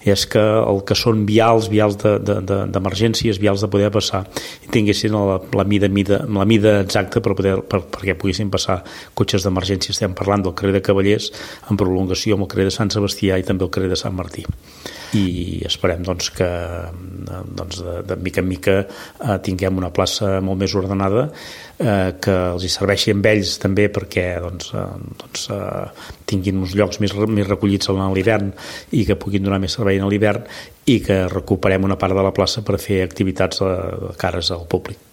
és que el que són vials d'emergències, vials de poder passar, i tinguessin la mida exacta perquè poguessin passar cotxes d'emergència. Estem parlant del carrer de Cavallers en prolongació amb el carrer de Sant Sebastià i també el carrer de Sant Martí. I esperem que de mica en mica tinguem una plaça molt més ordenada, que els hi serveixi amb ells també perquè tinguin uns llocs més recollits a l'hivern i que puguin donar més servei a l'hivern, i que recuperem una part de la plaça per fer activitats de cares al públic.